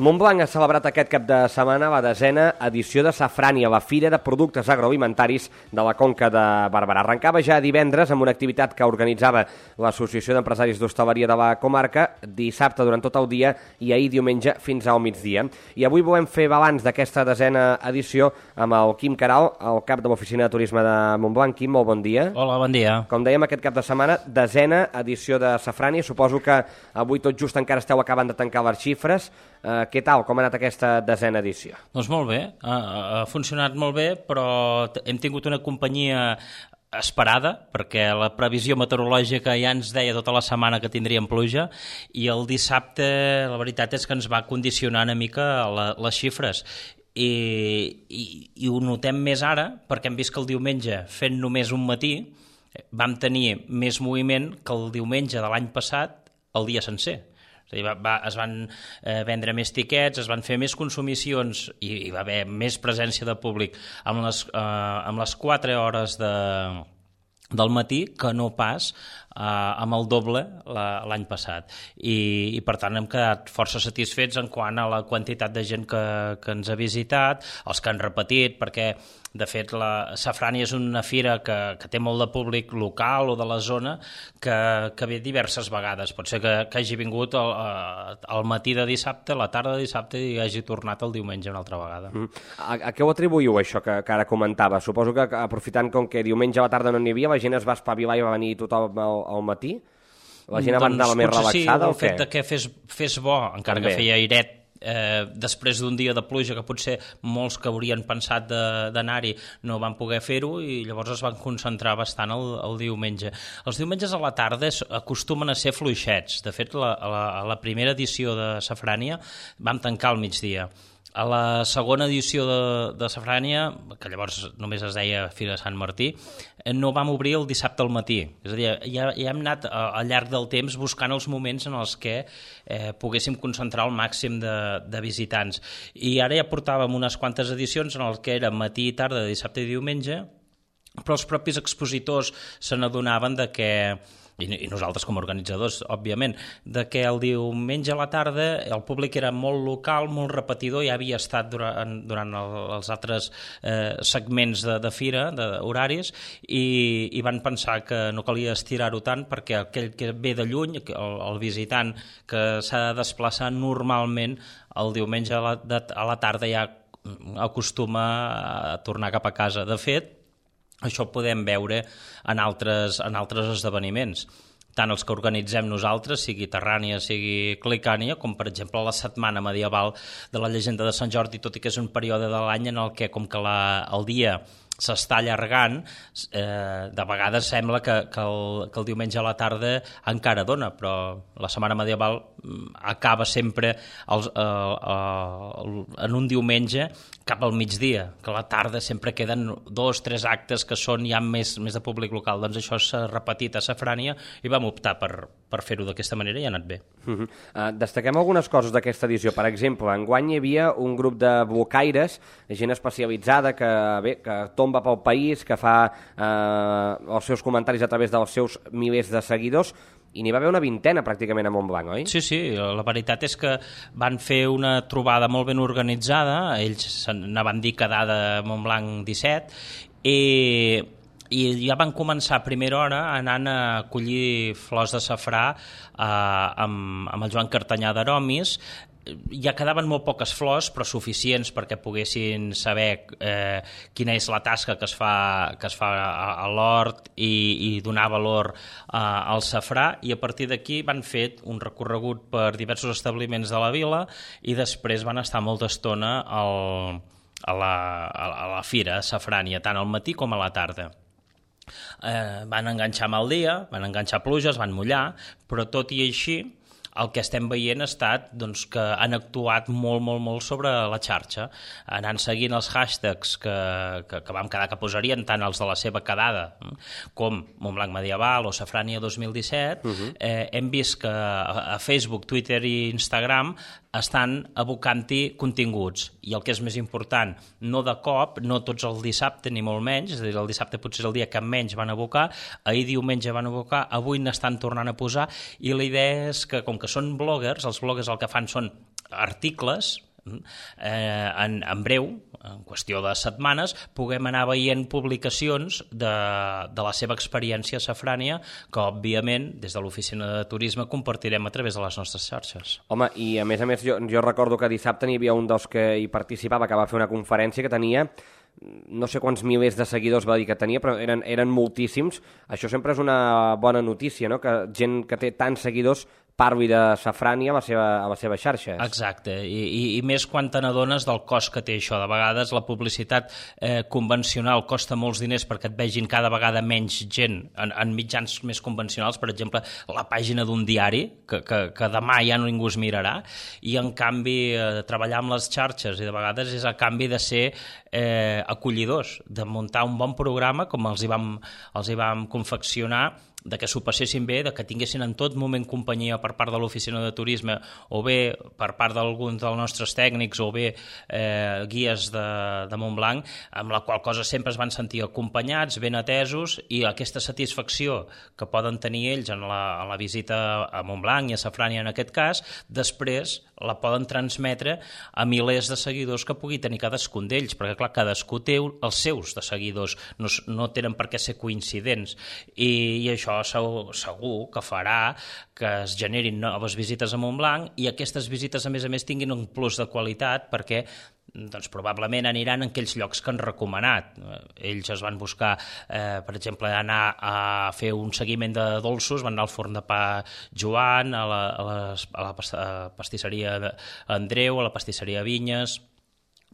Montblanc ha celebrat aquest cap de setmana la 10a edició de Safrània, la Fira de Productes Agroalimentaris de la Conca de Barberà. Arrencava ja divendres amb una activitat que organitzava l'Associació d'Empresaris d'Hostaleria de la comarca, dissabte durant tot el dia i ahir diumenge fins al migdia. I avui volem fer balanç d'aquesta 10a edició amb el Quim Queralt, el cap de l'Oficina de Turisme de Montblanc. Quim, molt bon dia. Hola, bon dia. Com dèiem, aquest cap de setmana, 10a edició de Safrània. Suposo que avui tot just encara esteu acabant de tancar les xifres. Què tal? Com ha anat aquesta 10a edició? Doncs molt bé, ha funcionat molt bé, però hem tingut una companyia esperada, perquè la previsió meteorològica ja ens deia tota la setmana que tindríem pluja, i el dissabte la veritat és que ens va condicionar una mica les xifres. I ho notem més ara, perquè hem vist que el diumenge, fent només un matí, vam tenir més moviment que el diumenge de l'any passat el dia sencer. És a dir, es van vendre més tiquets, es van fer més consumicions i hi va haver més presència de públic amb les 4 hores del matí que no pas amb el doble l'any passat. I per tant hem quedat força satisfets en quant a la quantitat de gent que ens ha visitat, els que han repetit, perquè de fet la Safrània és una fira que té molt de públic local o de la zona que ve diverses vegades. Pot ser que hagi vingut al matí de dissabte, a la tarda de dissabte i hagi tornat el diumenge una altra vegada. A què ho atribuïu, això que ara comentava? Suposo que aprofitant com que diumenge a la tarda no n'hi havia, la gent es va espavilar i va venir tothom al matí? La gent va anar més relaxada o què? Sí, el fet que fes bo, encara que feia airet, després d'un dia de pluja que potser molts que haurien pensat d'anar-hi no van poder fer-ho i llavors es van concentrar bastant el diumenge. Els diumenges a la tarda acostumen a ser fluixets. De fet, a la primera edició de Safrània vam tancar al migdia. A la segona edició de Safrània, que llavors només es deia Fira de Sant Martí, no vam obrir el dissabte al matí. És a dir, ja hem anat al llarg del temps buscant els moments en els que poguéssim concentrar el màxim de visitants. I ara ja portàvem unes quantes edicions en les que era matí i tarda, dissabte i diumenge, però els propis expositors se n'adonaven de que, i nosaltres com a organitzadors, òbviament, de que el diumenge a la tarda el públic era molt local, molt repetidor, ja havia estat durant els altres segments de fira, d'horaris, i van pensar que no calia estirar-ho tant perquè aquell que ve de lluny, el visitant que s'ha de desplaçar normalment el diumenge a la tarda ja acostuma a tornar cap a casa. De fet, això ho podem veure en altres esdeveniments, tant els que organitzem nosaltres, sigui Terrània, sigui Clicània, com per exemple la Setmana Medieval de la Llegenda de Sant Jordi, tot i que és un període de l'any en el que, com que el dia s'està allargant, de vegades sembla que el diumenge a la tarda encara dona, però la Setmana Medieval acaba sempre en un diumenge cap al migdia, que a la tarda sempre queden 2-3 actes que són ja més de públic local. Doncs això s'ha repetit a Safrània i vam optar per fer-ho d'aquesta manera i ha anat bé. Destaquem algunes coses d'aquesta edició. Per exemple, enguany hi havia un grup de blocaires, gent especialitzada que tomba pel país, que fa els seus comentaris a través dels seus milers de seguidors, i n'hi va haver una 20a pràcticament a Montblanc, oi? Sí, la veritat és que van fer una trobada molt ben organitzada, ells n'anaven dir quedada Montblanc 17, i ja van començar a primera hora anant a collir flors de safrà amb el Joan Cartanyà d'Aromis. Ja quedaven molt poques flors, però suficients perquè poguessin saber quina és la tasca que es fa a l'hort i donar valor al safrà, i a partir d'aquí van fer un recorregut per diversos establiments de la vila i després van estar molta estona a la fira a Safrània, tant al matí com a la tarda. Van enganxar mal dia, van enganxar pluges, van mullar, però tot i així el que estem veient ha estat que han actuat molt sobre la xarxa, anant seguint els hashtags que vam quedar que posarien, tant els de la seva quedada com Montblanc Medieval o Safrània 2017. Hem vist que a Facebook, Twitter i Instagram estan abocant-hi continguts, i el que és més important, no de cop, no tots el dissabte ni molt menys, és a dir, el dissabte potser és el dia que menys van abocar, ahir diumenge van abocar, avui n'estan tornant a posar, i la idea és que com que són bloggers, els bloggers el que fan són articles, en breu, en qüestió de setmanes, puguem anar veient publicacions de la seva experiència a Safrània, que òbviament des de l'oficina de turisme compartirem a través de les nostres xarxes. Home, i a més jo recordo que dissabte n'hi havia un dels que hi participava, que va fer una conferència que tenia no sé quants milers de seguidors va dir que tenia, però eren moltíssims. Això sempre és una bona notícia, no? Que gent que té tants seguidors parli de Safrània a les seves xarxes. Exacte, i més quan te n'adones del cost que té això. De vegades la publicitat convencional costa molts diners perquè et vegin cada vegada menys gent en mitjans més convencionals, per exemple, la pàgina d'un diari, que demà ja ningú es mirarà, i en canvi treballar amb les xarxes, i de vegades és a canvi de ser acollidors, de muntar un bon programa com els hi vam confeccionar, de que s'ho passessin bé, de que tinguessin en tot moment companyia per part de l'oficina de turisme o bé per part d'alguns dels nostres tècnics o bé guies de Montblanc, amb la qual cosa sempre es van sentir acompanyats, ben atesos, i aquesta satisfacció que poden tenir ells en la visita a Montblanc i a Safrània en aquest cas, després la poden transmetre a milers de seguidors que pugui tenir cadascun d'ells, perquè clar, cadascú té els seus de seguidors, no tenen per què ser coincidents, i això segur que farà que es generin noves visites a Montblanc i aquestes visites a més tinguin un plus de qualitat perquè doncs probablement aniran en aquells llocs que han recomanat. Ells es van buscar, per exemple, anar a fer un seguiment de dolços, van anar al forn de pa Joan, a la pastisseria Andreu, a la pastisseria Vinyes,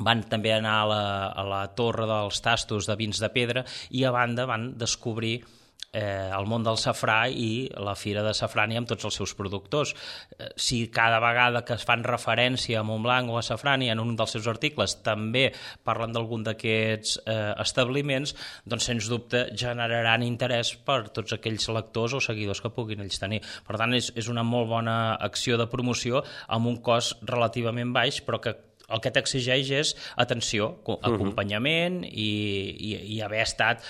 van també anar a la torre dels tastos de vins de pedra i a banda van descobrir el món del safrà i la Fira de Safrània amb tots els seus productors. Si cada vegada que es fan referència a Montblanc o a Safrània en un dels seus articles també parlen d'algun d'aquests establiments, doncs sens dubte generaran interès per tots aquells lectors o seguidors que puguin ells tenir. Per tant, és una molt bona acció de promoció amb un cost relativament baix, però que el que t'exigeix és atenció, acompanyament i haver estat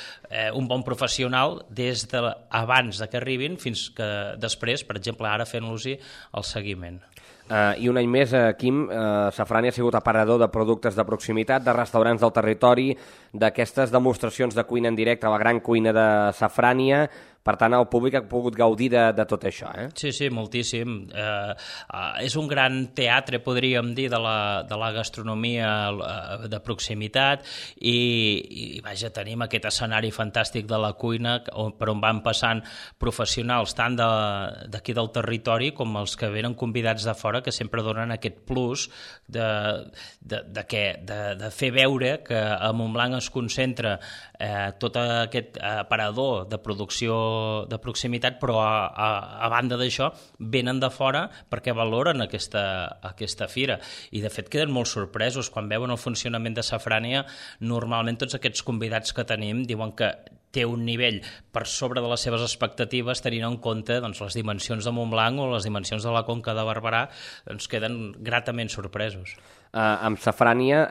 un bon professional des d'abans que arribin fins que després, per exemple, ara fent-los-hi el seguiment. I un any més, Quim, Safrània ha sigut aparador de productes de proximitat, de restaurants del territori, d'aquestes demostracions de cuina en directe a la gran cuina de Safrània. Per tant, el públic ha pogut gaudir de tot això, eh? Sí, moltíssim. És un gran teatre, podríem dir, de la gastronomia de proximitat i vaja, tenim aquest escenari fantàstic de la cuina per on van passant professionals tant d'aquí del territori com els que venen convidats de fora, que sempre donen aquest plus de fer veure que a Montblanc es concentra tot aquest aparador de producció de proximitat, però a banda d'això venen de fora perquè valoren aquesta fira i de fet queden molt sorpresos quan veuen el funcionament de Safrània. Normalment tots aquests convidats que tenim diuen que té un nivell per sobre de les seves expectatives, tenint en compte doncs, les dimensions de Montblanc o les dimensions de la Conca de Barberà, doncs queden gratament sorpresos. Amb Safrània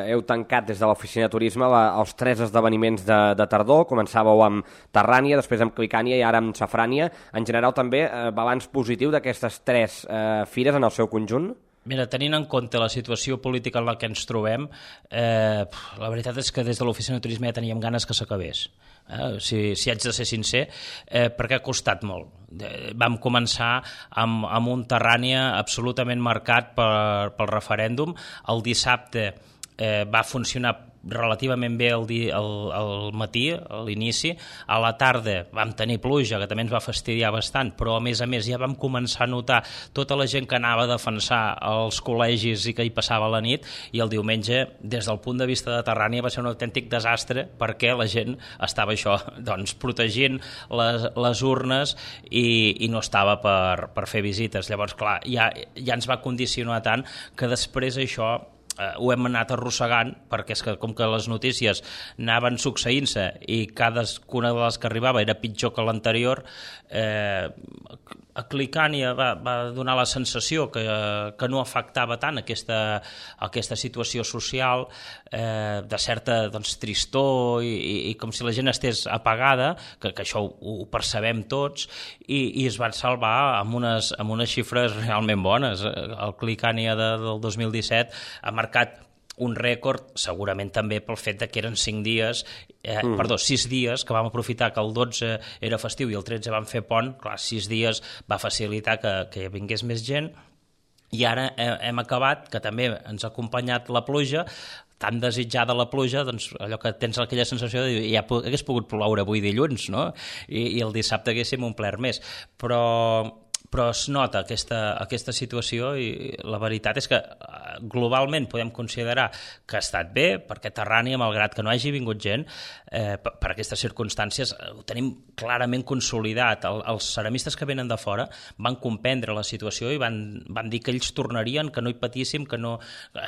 heu tancat des de l'oficina de turisme els 3 esdeveniments de tardor. Començàveu amb Terrània, després amb Clicània i ara amb Safrània. En general també balanç positiu d'aquestes 3 fires en el seu conjunt? Mira, tenint en compte la situació política en la que ens trobem, la veritat és que des de l'oficina de turisme ja teníem ganes que s'acabés. Si haig de ser sincer, perquè ha costat molt. Vam començar amb un Terrània absolutament marcat pel referèndum. El dissabte va funcionar relativament bé al matí, a l'inici. A la tarda vam tenir pluja, que també ens va fastidiar bastant, però a més ja vam començar a notar tota la gent que anava a defensar els col·legis i que hi passava la nit, i el diumenge, des del punt de vista de Terrània, va ser un autèntic desastre perquè la gent estava doncs, protegint les urnes i no estava per fer visites. Llavors, clar, ja ens va condicionar tant que després això ho hem anat arrossegant, perquè és que com que les notícies anaven succeint-se i cadascuna de les que arribava era pitjor que l'anterior, a Clicània va donar la sensació que no afectava tant aquesta situació social, de certa tristor i com si la gent estés apagada, que això ho percebem tots, i es van salvar amb unes xifres realment bones. El Clicània del 2017 ha marcat un rècord, segurament també pel fet que eren 6 dies, que vam aprofitar que el 12 era festiu i el 13 vam fer pont. Clar, 6 dies va facilitar que vingués més gent, i ara hem acabat, que també ens ha acompanyat la pluja, tan desitjada la pluja, doncs allò que tens aquella sensació de dir, ja hagués pogut ploure avui dilluns, no? I el dissabte haguéssim omplert més, però es nota aquesta situació, i la veritat és que globalment podem considerar que ha estat bé, perquè Terrània, malgrat que no hagi vingut gent, per aquestes circumstàncies ho tenim clarament consolidat. Els ceramistes que venen de fora van comprendre la situació i van dir que ells tornarien, que no hi patíssim, que no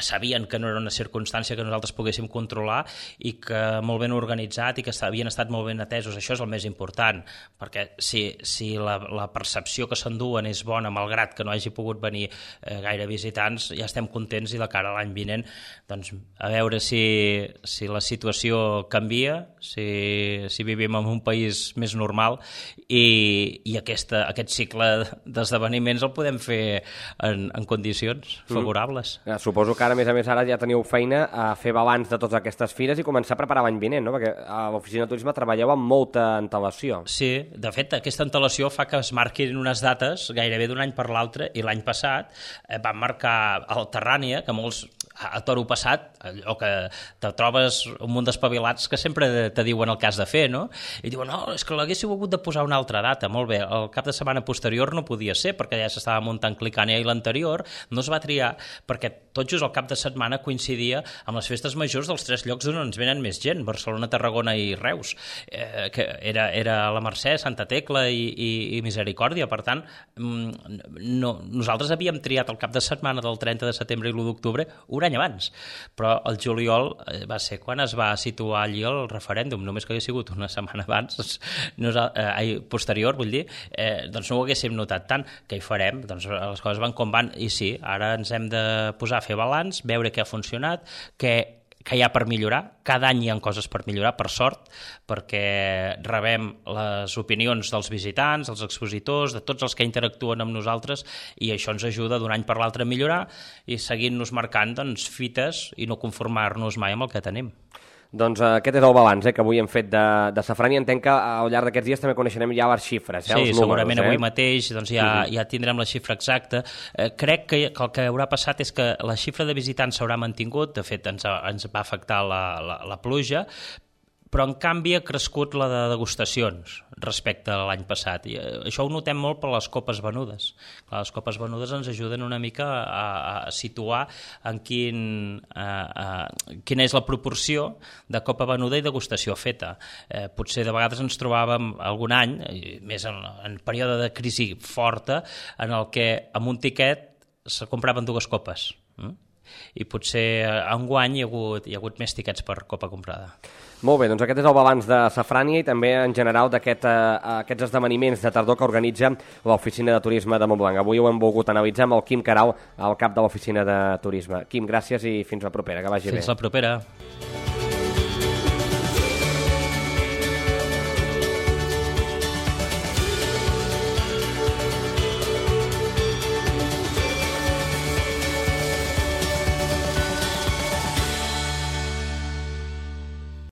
sabien que no era una circumstància que nosaltres poguéssim controlar, i que molt ben organitzat i que havien estat molt ben atesos. Això és el més important, perquè si la percepció que s'enduen és bona, malgrat que no hagi pogut venir gaire visitants, ja estem contents, i de cara a l'any vinent, doncs, a veure si la situació canvia, si vivim en un país més normal, i aquest cicle d'esdeveniments el podem fer en condicions favorables. Suposo que ara, a més ara, ja teniu feina a fer balanç de totes aquestes fires i començar a preparar l'any vinent, no? Perquè a l'oficina de turisme treballeu amb molta antelació. Sí, de fet, aquesta antelació fa que es marquin unes dates gairebé d'un any per l'altre, i l'any passat van marcar el Terrània, que molts a toro passat, allò que te trobes un munt d'espavilats que sempre te diuen el que has de fer, no? I diuen, no, és que l'haguéssiu hagut de posar una altra data. Molt bé, el cap de setmana posterior no podia ser, perquè ja s'estava muntant Clicània, i l'anterior no es va triar perquè tot just el cap de setmana coincidia amb les festes majors dels 3 llocs on ens venen més gent, Barcelona, Tarragona i Reus, que era la Mercè, Santa Tecla i Misericòrdia. Per tant, nosaltres havíem triat el cap de setmana del 30 de setembre i l'1 d'octubre un any abans, però el juliol va ser quan es va situar allí el referèndum. Només que hagués sigut una setmana abans, posterior, vull dir, doncs no ho haguéssim notat tant. Què hi farem? Doncs les coses van com van, i sí, ara ens hem de posar a fer balanç, veure què ha funcionat, què hi ha per millorar. Cada any hi ha coses per millorar, per sort, perquè rebem les opinions dels visitants, dels expositors, de tots els que interactuen amb nosaltres, i això ens ajuda d'un any per l'altre a millorar i seguint-nos marcant fites i no conformar-nos mai amb el que tenim. Doncs aquest és el balanç que avui hem fet de Safran, i entenc que al llarg d'aquests dies també coneixerem ja les xifres, els números. Sí, segurament avui mateix ja tindrem la xifra exacta. Crec que el que haurà passat és que la xifra de visitants s'haurà mantingut. De fet, ens va afectar la pluja, però en canvi ha crescut la de degustacions respecte a l'any passat, i això ho notem molt per les copes venudes. Les copes venudes ens ajuden una mica a situar en quina és la proporció de copa venuda i degustació feta. Potser de vegades ens trobàvem algun any, més en període de crisi forta, en el que amb un tiquet se compraven 2 copes, i potser enguany hi ha hagut més tiquets per copa comprada. Molt bé, doncs aquest és el balanç de Safrània i també en general d'aquests esdeveniments de tardor que organitza l'Oficina de Turisme de Montblanc. Avui ho hem volgut analitzar amb el Quim Querau, al cap de l'Oficina de Turisme. Quim, gràcies i fins la propera, que vagi bé. Fins la propera.